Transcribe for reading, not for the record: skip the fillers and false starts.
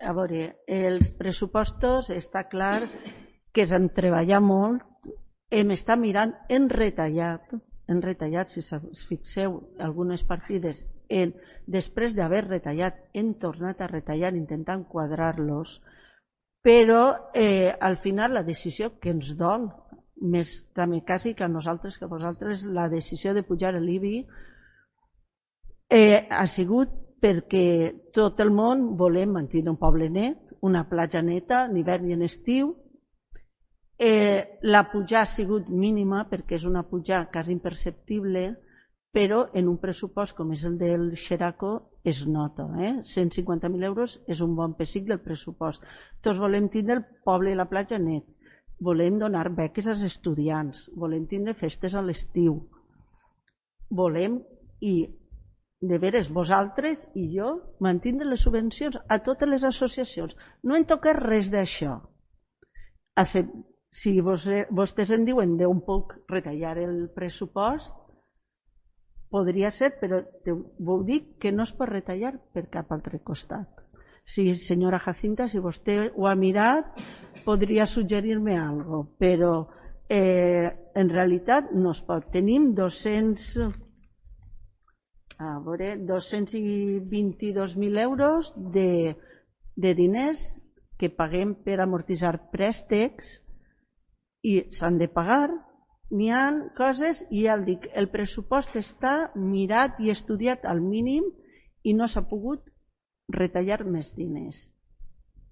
A veure, els pressupostos està clar que s'han treballat molt, hem estat mirant, hem retallat, si us fixeu, algunes partides, després d'haver retallat, hem tornat a retallar intentant quadrar-los, però al final la decisió que ens dol, més també quasi que a nosaltres que a vosaltres, la decisió de pujar l'IBI ha sigut perquè tot el món volem mantenir un poble net, una platja neta, en hivern i en estiu. La pujar ha sigut mínima perquè és una pujar quasi imperceptible, però en un pressupost com és el del Xeraco es nota. 150.000 euros és un bon pessic del pressupost. Tots volem tindre el poble i la platja net, volem donar beques als estudiants, volem tindre festes a l'estiu, volem, i de veres vosaltres i jo, mantindre les subvencions a totes les associacions. No en toca res d'això. Si vostès en diuen d'on puc retallar el pressupost, podria ser, però vos dic que no es pot retallar per cap altre costat. Sí, senyora Jacinta, si vostè ho ha mirat, podria suggerir-me alguna cosa, però en realitat no es pot. Tenim 222.000 euros de diners que paguem per amortitzar préstecs i s'han de pagar. N'hi ha coses, i ja el dic, el pressupost està mirat i estudiat al mínim i no s'ha pogut retallar més diners.